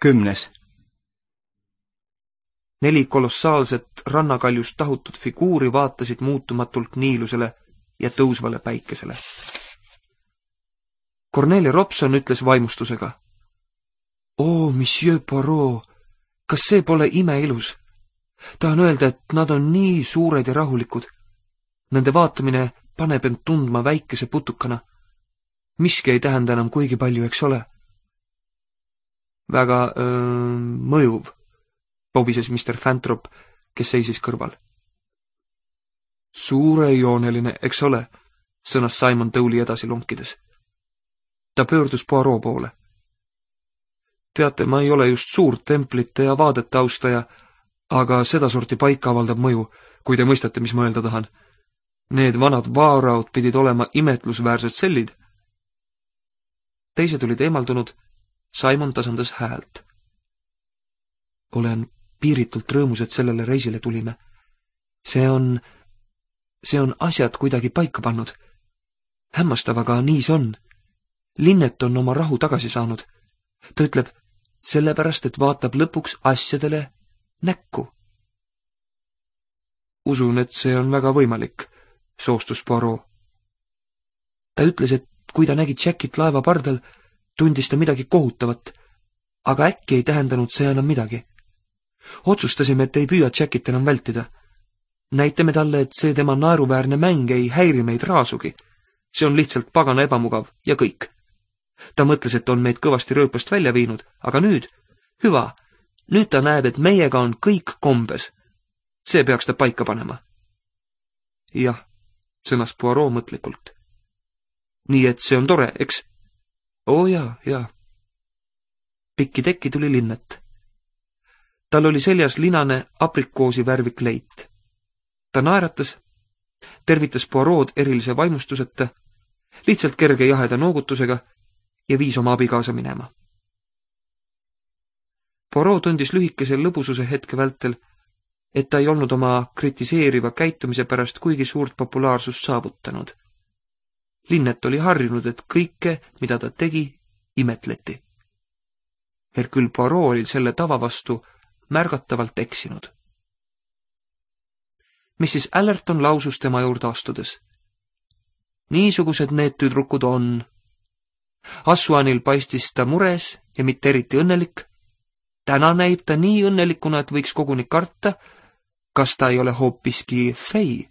10. 4 kolossaalset rannakaljust tahutud figuuri vaatasid muutumatult niilusele ja tõusvale päikesele. Cornelia Robson ütles vaimustusega. "Oo, monsieur Poirot, kas see pole imeilus? Tahan öelda, et nad on nii suured ja rahulikud. Nende vaatamine paneb end tundma väikese putukana. Miski ei tähenda enam kuigi palju, eks ole?" "Väga mõjuv," pobises Mr. Fantrop, kes seisis kõrval. "Suurejooneline, eks ole," sõnas Simon Towley edasi lonkides. Ta pöördus Poirot poole. "Teate, ma ei ole just suur templite ja vaadete austaja, aga sedasorti paika avaldab mõju, kui te mõistate, mis ma öelda tahan. Need vanad vaaraod pidid olema imetlusväärsed sellid." Teised olid eemaldunud, Simon tasandas häält. "Olen piiritult rõõmus, et sellele reisile tulime. See on asjad kuidagi paika pannud. Hämmastav, aga nii see on. Linnet on oma rahu tagasi saanud. Ta ütleb, sellepärast, et vaatab lõpuks asjadele näkku." "Usun, et see on väga võimalik," soostus Poirot. "Ta ütles, et kui ta nägi Jackit laeva pardal, tundis ta midagi kohutavat, aga äkki ei tähendanud see enam midagi. Otsustasime, et ei püüa Jackit enam vältida. Näitame talle, et see tema naeruväärne mäng ei häiri meid raasugi. See on lihtsalt pagana ebamugav ja kõik. Ta mõtles, et on meid kõvasti rööpast välja viinud, aga nüüd, hüva, nüüd ta näeb, et meiega on kõik kombes. See peaks ta paika panema." "Jah," sõnas Poirot mõtlikult. "Nii et see on tore, eks?" "Oo jaa." Pikki tekki tuli Linnet. Tal oli seljas linane aprikoosi värvi kleit. Ta naeratas, tervitas Poirot erilise vaimustuseta, lihtsalt kerge jaheda noogutusega ja viis oma abikaasa minema. Poirot tundis lühikese lõbususe hetke vältel, et ta ei olnud oma kritiseeriva käitumise pärast kuigi suurt populaarsust saavutanud. Linnet oli harjunud, et kõike, mida ta tegi, imetleti. Hercule Poirot oli selle tava vastu märgatavalt eksinud. Mrs. Allerton lausus tema juurde astudes. "Niisugused need tüdrukud on. Assuanil paistis ta mures ja mitte eriti õnnelik. Täna näib ta nii õnnelikuna, et võiks koguni karta, kas ta ei ole hoopiski fei."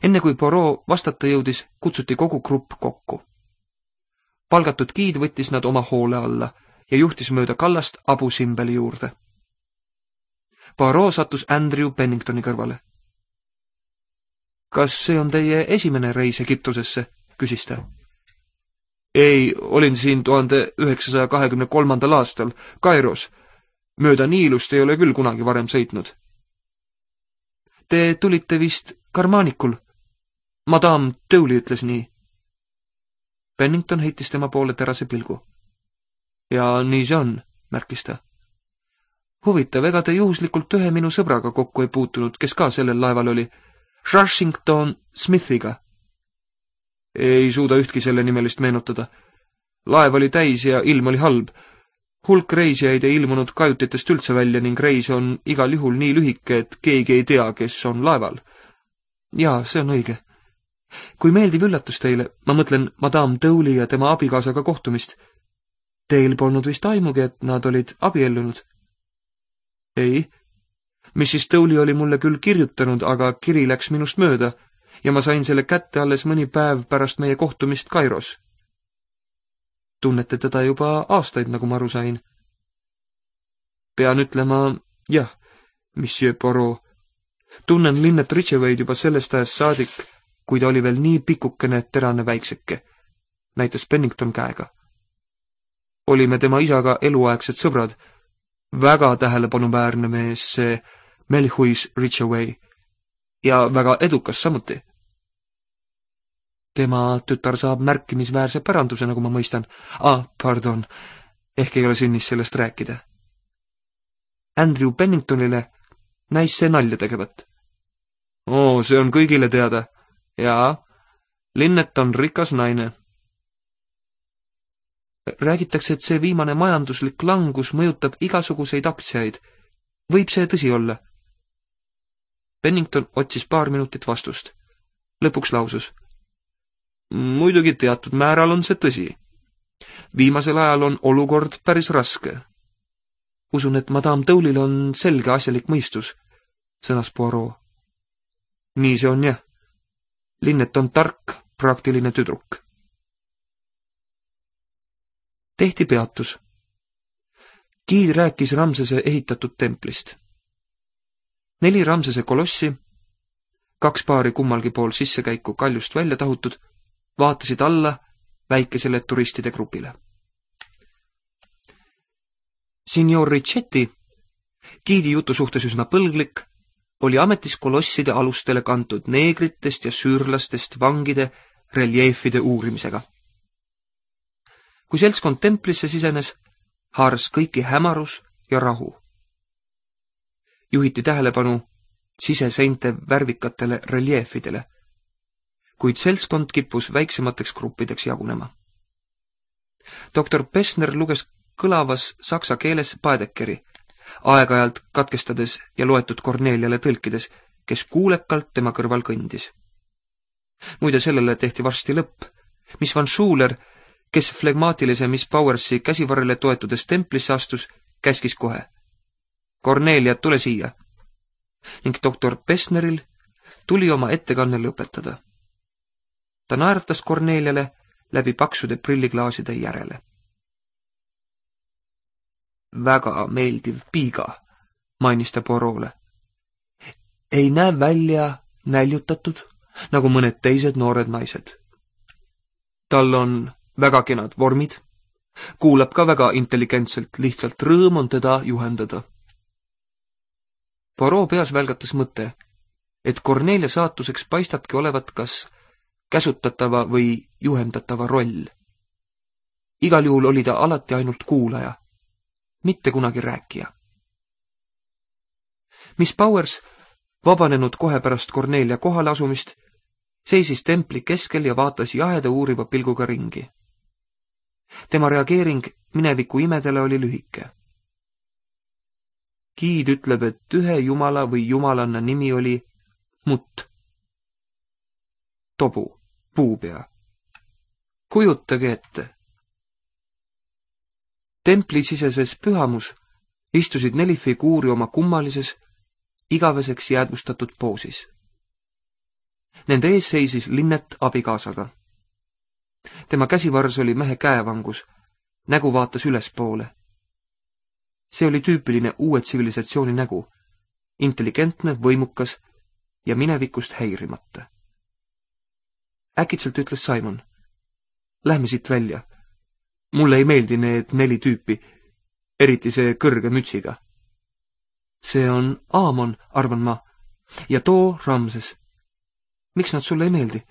Enne kui Poirot vastata jõudis, kutsuti kogu grupp kokku. Palgatud giid võttis nad oma hoole alla ja juhtis mööda kallast Abu Simbeli juurde. Poirot sattus Andrew Penningtoni kõrvale. "Kas see on teie esimene reis Egiptusesse?" küsis ta. "Ei, olin siin 1923. aastal Kairos. Mööda Niilust ei ole küll kunagi varem sõitnud." "Te tulite vist karmaanikul? Madame Towley ütles nii." Pennington heitis tema poole terase pilgu. "Ja nii see on," märkis ta. "Huvitav, ega te juhuslikult ühe minu sõbraga kokku ei puutunud, kes ka sellel laeval oli? Rushington Smithiga?" "Ei suuda ühtki selle nimelist meenutada. Laev oli täis ja ilm oli halb. Hulk reisijaid ei ilmunud kajutitest üldse välja ning reis on igal juhul nii lühike, et keegi ei tea, kes on laeval." "Jaa, see on õige. Kui meeldiv üllatus teile, ma mõtlen Madame Towley ja tema abikaasaga kohtumist. Teil polnud vist aimugi, et nad olid abiellunud?" "Ei. Mrs. Towley oli mulle küll kirjutanud, aga kiri läks minust mööda ja ma sain selle kätte alles mõni päev pärast meie kohtumist Kairos." "Tunnete teda juba aastaid, nagu ma aru sain?" "Pean ütlema, jah, monsieur Poirot. Tunnen Linnet Ridgeway'd juba sellest ajast saadik, kui ta oli veel nii pikukene terane väikseke," näitas Pennington käega. "Olime tema isaga eluaegsed sõbrad. Väga tähelepanuväärne mees, see Melhuis Ridgeway, ja väga edukas samuti." "Tema tütar saab märkimisväärse päranduse, nagu ma mõistan." Pardon, ehk ei ole sünnis sellest rääkida." Andrew Penningtonile näis see nalja tegevat. "Oo, see on kõigile teada. Jaa, Linnet on rikas naine." Räägitakse, et see viimane majanduslik langus mõjutab igasuguseid aktsiaid. Võib see tõsi olla? Pennington otsis paar minutit vastust. Lõpuks lausus. Muidugi teatud määral on see tõsi. Viimasel ajal on olukord päris raske. Usun, et madame Dole'il on selge asjalik mõistus, sõnas Poirot. Nii see on jah. Linnet on tark, praktiline tüdruk. Tehti peatus. Guide rääkis Ramsese ehitatud templist. 4 Ramsese kolossi, 2 paari kummalgi pool sissekäiku kaljust välja tahutud, vaatasid alla väikesele turistide grupile. Signor Richetti, Guide'i jutu suhtes üsna põlglik, oli ametis kolosside alustele kantud neegritest ja süürlastest vangide reljeefide uurimisega. Kui seltskond templisse sisenes, haaras kõiki hämarus ja rahu. Juhiti tähelepanu siseseinte värvikatele reljeefidele, kuid seltskond kippus väiksemateks gruppideks jagunema. Doktor Pessner luges kõlavas saksa keeles Baedekeri, aeg-ajalt katkestades ja loetud Korneliale tõlkides, kes kuulekalt tema kõrval kõndis. Muide sellele tehti varsti lõpp. Miss Van Schuler, kes flegmaatilise Miss Powersi käsivarrele toetudes templisse astus, käskis kohe. Kornelia, tule siia. Ning doktor Pessneril tuli oma ettekanne lõpetada. Ta naeratas Korneliale läbi paksude prilliklaaside järele. Väga meeldiv piiga, mainis ta Poirot'le. Ei näe välja näljutatud, nagu mõned teised noored naised. Tal on väga kenad vormid, kuulab ka väga intelligentselt, lihtsalt rõõm on teda juhendada. Poirot peas välgatas mõte, et Kornelia saatuseks paistabki olevat kas käsutatava või juhendatava roll. Igal juhul oli ta alati ainult kuulaja, mitte kunagi rääkija. Miss Powers, vabanenud kohe pärast Kornelia kohale asumist, seisis templi keskel ja vaatas jaheda uuriva pilguga ringi. Tema reageering mineviku imedele oli lühike. Guide ütleb, et ühe jumala või jumalanna nimi oli Mutt. Tobu, puupea. Kujutage ette. Templisiseses pühamus istusid 4 figuuri oma kummalises, igaveseks jäädvustatud poosis. Nende ees seisis Linnet abikaasaga. Tema käsivars oli mehe käevangus, nägu vaatas ülespoole. See oli tüüpiline uue tsivilisatsiooni nägu, intelligentne, võimukas ja minevikust häirimata. Äkitselt ütles Simon. Lähme siit välja. Mulle ei meeldi need 4 tüüpi, eriti see kõrge mütsiga. See on Aamon, arvan ma, ja too Ramses. Miks nad sulle ei meeldi?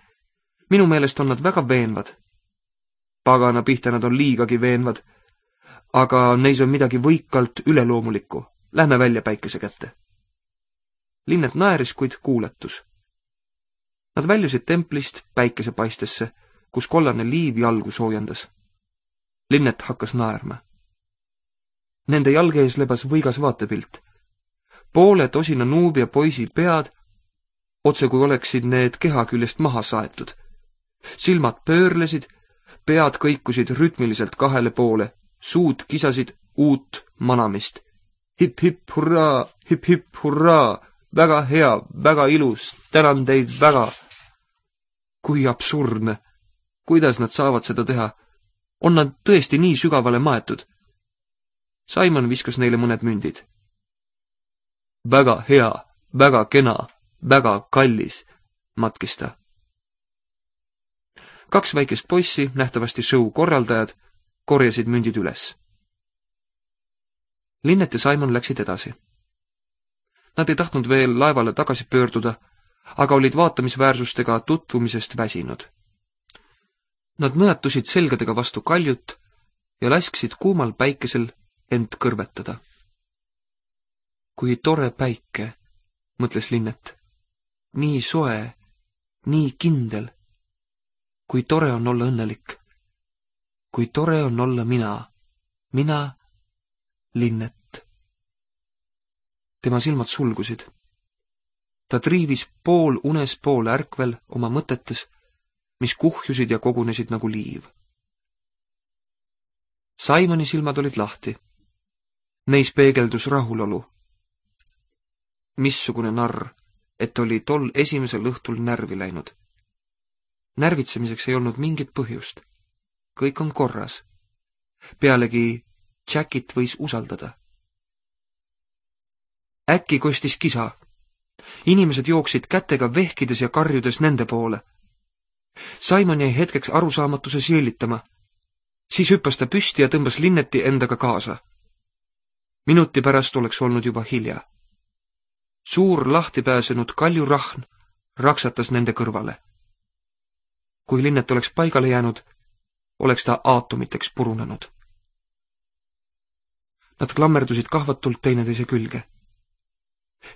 Minu meelest on nad väga veenvad. Pagana pihta nad on liigagi veenvad, aga neis on midagi võikalt üleloomulikku. Lähme välja päikese kätte. Linnet naeris, kuid kuuletus. Nad väljusid templist päikesepaistesse, kus kollane liiv jalgu soojendas. Linnet hakkas naerma. Nende jalge ees lebas võigas vaatepilt. Poole tosina nuubia poisi pead, otse kui oleksid need keha küljest maha saetud. Silmad pöörlesid, pead kõikusid rütmiliselt 2 poole, suud kisasid uut manamist. Hip-hip hurraa, hip-hip hurraa, väga hea, väga ilus, tänan teid väga. Kui absurdne. Kuidas nad saavad seda teha? On nad tõesti nii sügavale maetud? Simon viskas neile mõned mündid. Väga hea, väga kena, väga kallis, matkis ta. 2 väikest poissi, nähtavasti show korraldajad, korjasid mündid üles. Linnet ja Simon läksid edasi. Nad ei tahtnud veel laevale tagasi pöörduda, aga olid vaatamisväärsustega tutvumisest väsinud. Nad nõjatusid selgadega vastu kaljut ja lasksid kuumal päikesel end kõrvetada. Kui tore päike, mõtles Linnet. Nii soe, nii kindel. Kui tore on olla õnnelik. kui tore on olla mina, Linnet. Tema silmad sulgusid. Ta triivis pool unes, pool ärkvel oma mõtetes, mis kuhjusid ja kogunesid nagu liiv. Simoni silmad olid lahti. Neis peegeldus rahulolu. Missugune narr, et oli tol esimesel õhtul närvi läinud. Närvitsemiseks ei olnud mingit põhjust. Kõik on korras. Pealegi Jackit võis usaldada. Äkki kostis kisa. Inimesed jooksid kätega vehkides ja karjudes nende poole. Simon jäi hetkeks arusaamatuse jõllitama. Siis hüppas ta püsti ja tõmbas Linneti endaga kaasa. Minuti pärast oleks olnud juba hilja. Suur lahti pääsenud kaljurahn raksatas nende kõrvale. Kui Linnet oleks paigale jäänud, oleks ta aatomiteks purunenud. Nad klammerdusid kahvatult teineteise külge.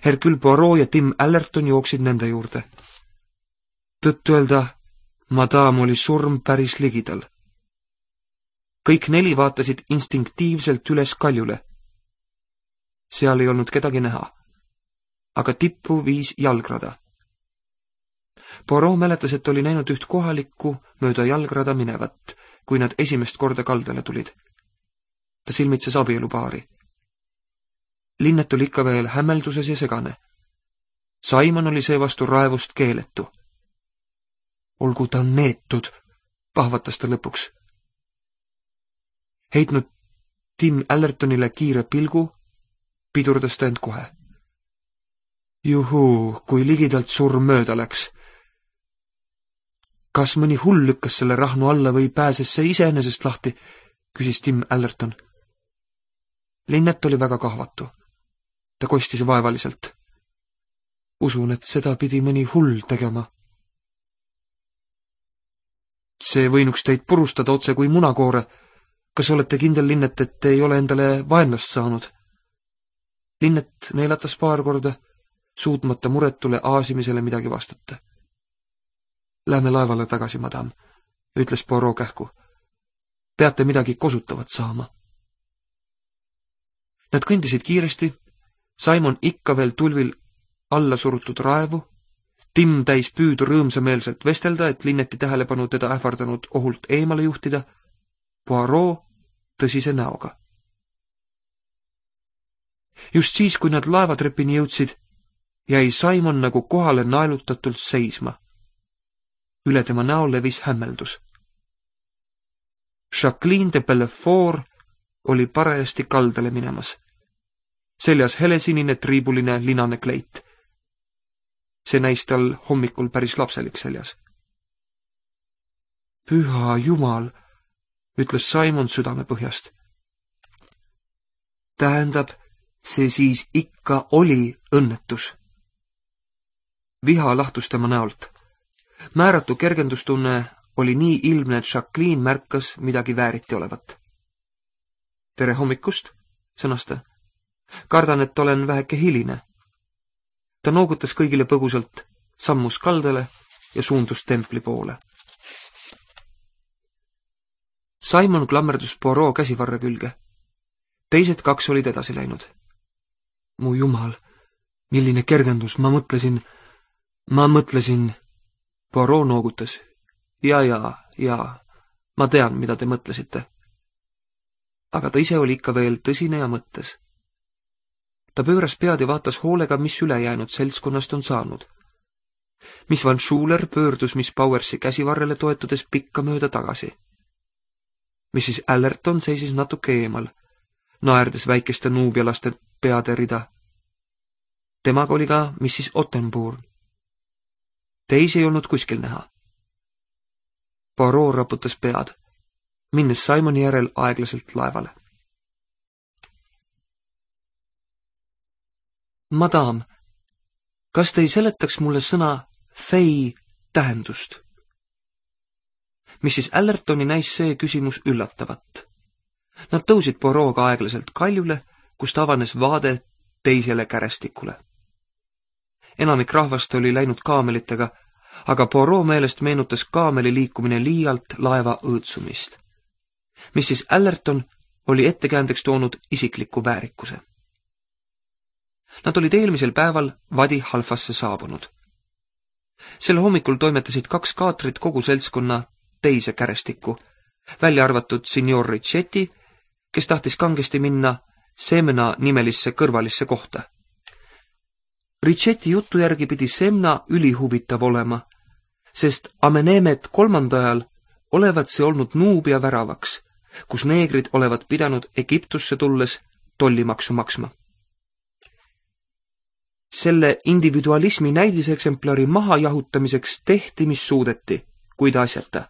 Hercule Poirot ja Tim Allerton jooksid nende juurde. Tõtt-öelda, madame oli surm päris ligidal. Kõik neli vaatasid instinktiivselt üles kaljule. Seal ei olnud kedagi näha, aga tippu viis jalgrada. Poirot mäletas, et oli näinud üht kohalikku mööda jalgrada minevat, kui nad esimest korda kaldale tulid. Ta silmitses abielupaari. Linnet oli ikka veel hämmelduses ja segane. Simon oli seevastu raevust keeletu. Olgu ta neetud, pahvatas ta lõpuks. Heitnud Tim Allertonile kiire pilgu, pidurdas ta end kohe. Juhuu, kui ligidalt surm mööda läks. Kas mõni hull lükkas selle rahnu alla või pääses see iseenesest lahti, küsis Tim Allerton. Linnet oli väga kahvatu. Ta kostis vaevaliselt. Usun, et seda pidi mõni hull tegema. See võinuks teid purustada otse kui munakoore. Kas olete kindel, Linnet, et ei ole endale vaenlast saanud? Linnet neelatas paar korda, suutmata muretule aasimisele midagi vastata. Lähme laevale tagasi, madam, ütles Poirot kähku. Peate midagi kosutavat saama. Nad kõndisid kiiresti, Simon ikka veel tulvil alla surutud raevu, Tim täis püüdu rõõmsameelselt vestelda, et Linneti tähelepanu teda ähvardanud ohult eemale juhtida, Poirot tõsise näoga. Just siis, kui nad laevatrepini jõudsid, jäi Simon nagu kohale naelutatult seisma. Üle tema näo levis hämmeldus. Jacqueline de Bellefort oli parajasti kaldale minemas. Seljas helesinine triibuline linane kleit. See näis tal hommikul päris lapselik seljas. Püha Jumal, ütles Simon südame põhjast. Tähendab, see siis ikka oli õnnetus. Viha lahtus tema näolt. Määratu kergendustunne oli nii ilmne, et Jacqueline märkas midagi vääriti olevat. Tere hommikust, sõnas ta. Kardan, et olen väheke hiline. Ta noogutas kõigile põgusalt, sammus kaldale ja suundus templi poole. Simon klammerdus Poirot käsivarre külge. Teised kaks olid edasi läinud. Mu jumal, milline kergendus, ma mõtlesin... Poirot noogutas. Ja, ma tean, mida te mõtlesite. Aga ta ise oli ikka veel tõsine ja mõttes. Ta pööras pead ja vaatas hoolega, mis ülejäänud seltskonnast on saanud. Miss Van Schuler pöördus Miss Powersi käsivarrele toetudes pikka mööda tagasi. Mrs. Allerton seisis natuke eemal, naerdes väikeste nuubialaste peade rida. Temaga oli ka Mrs. Ottenburn. Teisi ei olnud kuskil näha. Poirot raputas pead, minnes Simoni järel aeglaselt laevale. Madam, kas te ei seletaks mulle sõna fei tähendust? Mrs. Allertoni näis see küsimus üllatavat. Nad tõusid Poirot'ga aeglaselt kaljule, kust avanes vaade teisele kärestikule. Enamik rahvast oli läinud kaamelitega, aga Poirot meelest meenutas kaameli liikumine liialt laeva õõtsumist. Mrs. Allerton oli ettekäändeks toonud isikliku väärikuse. Nad olid eelmisel päeval Wadi Halfasse saabunud. Sel hommikul toimetasid 2 kaatrit kogu seltskonna teise kärestikku, välja arvatud signor Richetti, kes tahtis kangesti minna Semna nimelisse kõrvalisse kohta. Richetti jutu järgi pidi Semna ülihuvitav olema, sest Amenemet 3. ajal olevat see olnud Nuubia väravaks, kus neegrid olevat pidanud Egiptusse tulles tollimaksu maksma. Selle individualismi näidiseksemplari mahajahutamiseks tehti, mis suudeti, kuid asjata.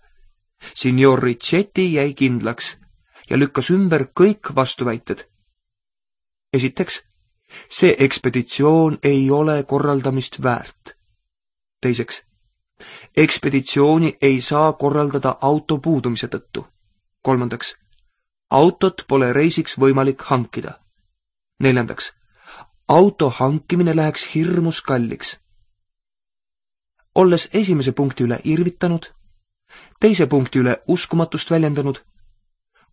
Signor Richetti jäi kindlaks ja lükkas ümber kõik vastuväited. Esiteks, see ekspeditsioon ei ole korraldamist väärt. Teiseks, ekspeditsiooni ei saa korraldada auto puudumise tõttu. Kolmandaks, autot pole reisiks võimalik hankida. Neljandaks, auto hankimine läheks hirmus kalliks. Olles esimese punkti üle irvitanud, teise punkti üle uskumatust väljendanud,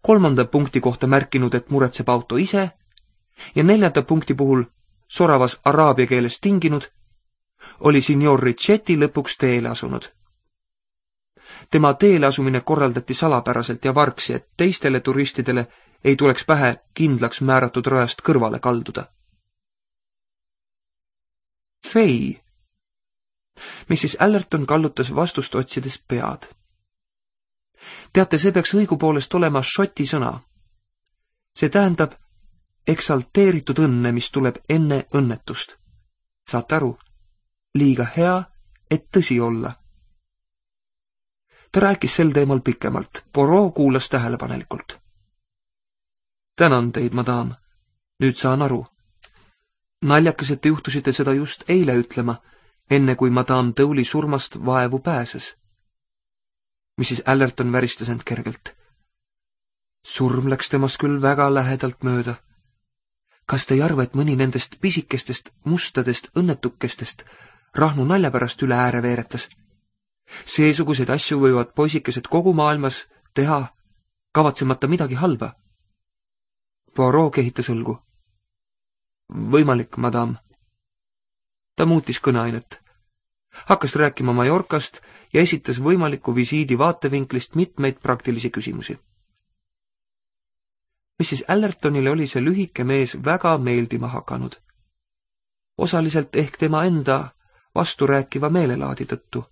3. punkti kohta märkinud, et muretseb auto ise ja 4. punkti puhul soravas araabia keeles tinginud, oli signor Richetti lõpuks teele asunud. Tema teele asumine korraldati salapäraselt ja vargsi, et teistele turistidele ei tuleks pähe kindlaks määratud rajast kõrvale kalduda. Fei. Mrs. Allerton kallutas vastust otsides pead. Teate, see peaks õigupoolest olema šoti sõna. See tähendab eksalteeritud õnne, mis tuleb enne õnnetust. Saate aru? Liiga hea, et tõsi olla. Ta rääkis sel teemal pikemalt. Poirot kuulas tähelepanelikult. Tänan teid, madam. Nüüd saan aru. Naljakas, et te juhtusite seda just eile ütlema, enne kui madam Dowli surmast vaevu pääses. Mrs. Allerton väristas end kergelt. Surm läks temast küll väga lähedalt mööda. Kas te ei arva, et mõni nendest pisikestest, mustadest õnnetukestest Rahnu nalja pärast üle ääre veeretas? Seesuguseid asju võivad poisikesed kogu maailmas teha, kavatsemata midagi halba. Poirot kehitas õlgu. Võimalik, madam. Ta muutis kõneainet. Hakkas rääkima Mallorcast ja esitas võimaliku visiidi vaatevinklist mitmeid praktilisi küsimusi. Mrs. Allertonile oli see lühike mees väga meeldima hakanud. Osaliselt ehk tema enda vasturääkiva meelelaadi tõttu.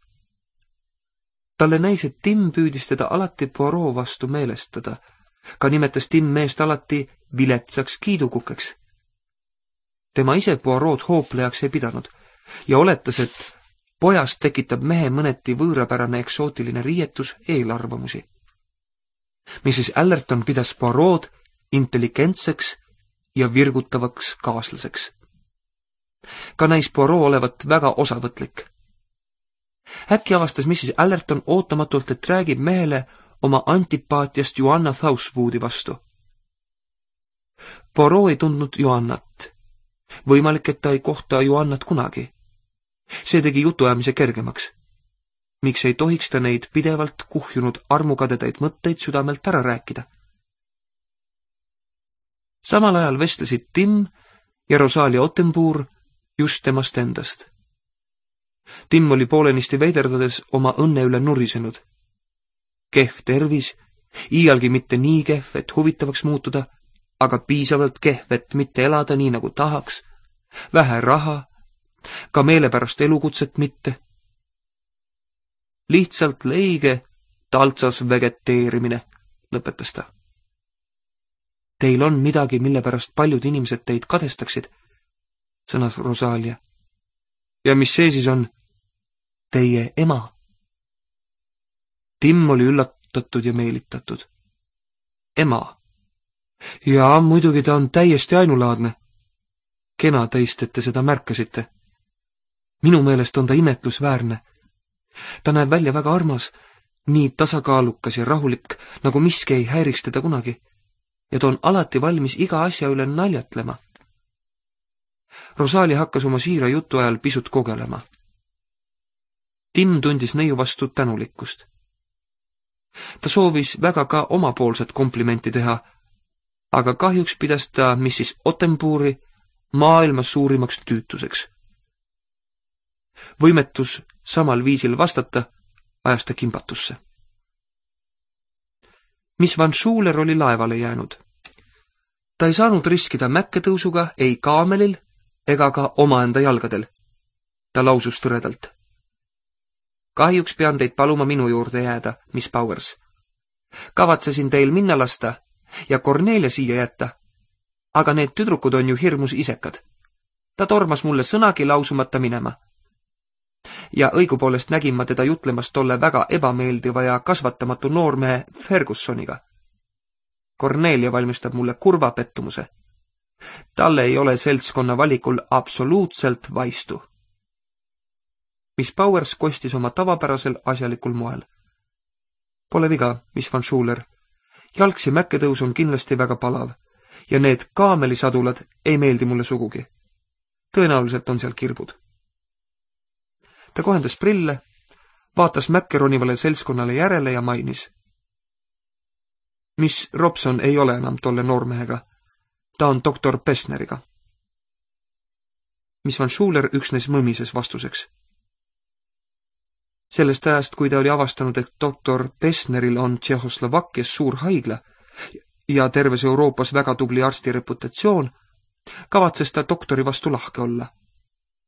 Talle näis, et Tim püüdis teda alati Poirot vastu meelestada. Ka nimetas Tim meest alati viletsaks kiidukukeks. Tema ise Poirot hooplejaks ei pidanud ja oletas, et pojast tekitab mehe mõneti võõrapärane eksootiline riietus eelarvamusi. Mrs. Allerton pidas Poirot intelligentseks ja virgutavaks kaaslaseks. Ka näis Poirot olevat väga osavõtlik. Äkki avastas Mrs. Allerton ootamatult, et räägib mehele oma antipaatiast Joanna Southwoodi vastu. Poirot ei tundnud Joannat. Võimalik, et ta ei kohta Joannat kunagi. See tegi jutuajamise kergemaks. Miks ei tohiks ta neid pidevalt kuhjunud armukadedaid mõtteid südamelt ära rääkida? Samal ajal vestlesid Tim ja Rosalia Ottenbourg just temast endast. Tim oli poolenisti veiderdades oma õnne üle nurisenud. Kehv tervis, iialgi mitte nii kehv, et huvitavaks muutuda, aga piisavalt kehv, et mitte elada nii nagu tahaks, vähe raha, ka meelepärast elukutset mitte. Lihtsalt leige taltsas vegeteerimine, lõpetas ta. Teil on midagi, mille pärast paljud inimesed teid kadestaksid, sõnas Rosalia. Ja mis see siis on? Teie ema. Tim oli üllatatud ja meelitatud. Ema. Jaa, muidugi ta on täiesti ainulaadne. Kena teist, et te seda märkasite. Minu meelest on ta imetlusväärne. Ta näeb välja väga armas, nii tasakaalukas ja rahulik, nagu miski ei häiriks teda kunagi. Ja ta on alati valmis iga asja üle naljatlema. Rosalia hakkas oma siira jutu ajal pisut kogelema. Tim tundis neiu vastu tänulikkust. Ta soovis väga ka omapoolset komplimenti teha, aga kahjuks pidas ta Mrs. Ottenbuuri maailma suurimaks tüütuseks. Võimetus samal viisil vastata ajas ta kimbatusse. Miss Van Schuler oli laevale jäänud. Ta ei saanud riskida mäkketõusuga ei kaamelil ega ka omaenda jalgadel. Ta lausus tõredalt. Kahjuks pean teid paluma minu juurde jääda, Miss Powers. Kavatsesin teil minna lasta ja Cornelia siia jätta, aga need tüdrukud on ju hirmus isekad. Ta tormas mulle sõnagi lausumata minema. Ja õigupoolest nägin ma teda jutlemas tolle väga ebameeldiva ja kasvatamatu noormehe Fergusoniga. Cornelia valmistab mulle kurva pettumuse. Talle ei ole seltskonna valikul absoluutselt vaistu. Miss Powers kostis oma tavapärasel asjalikul moel. Pole viga, Miss Van Schuler. Jalgsi mäkketõus on kindlasti väga palav ja need kaamelisadulad ei meeldi mulle sugugi. Tõenäoliselt on seal kirbud. Ta kohendas prille, vaatas mäkke ronivale seltskonnale järele ja mainis. Miss Robson ei ole enam tolle noormehega. Ta on doktor Pessneriga. Miss Van Schuler üksnes mõmises vastuseks. Sellest ajast, kui ta oli avastanud, et doktor Pessneril on Tšehhoslovakkias suur haigla ja terves Euroopas väga tubli arsti reputatsioon, kavatses ta doktori vastu lahke olla.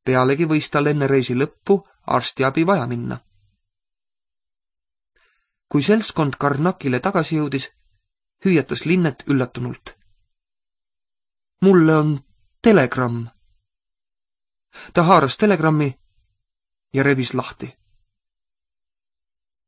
Pealegi võis tal enne reisi lõppu arstiabi vaja minna. Kui seltskond Karnakile tagasi jõudis, hüüatas Linnet üllatunult. Mulle on telegramm. Ta haaras telegrammi ja rebis lahti.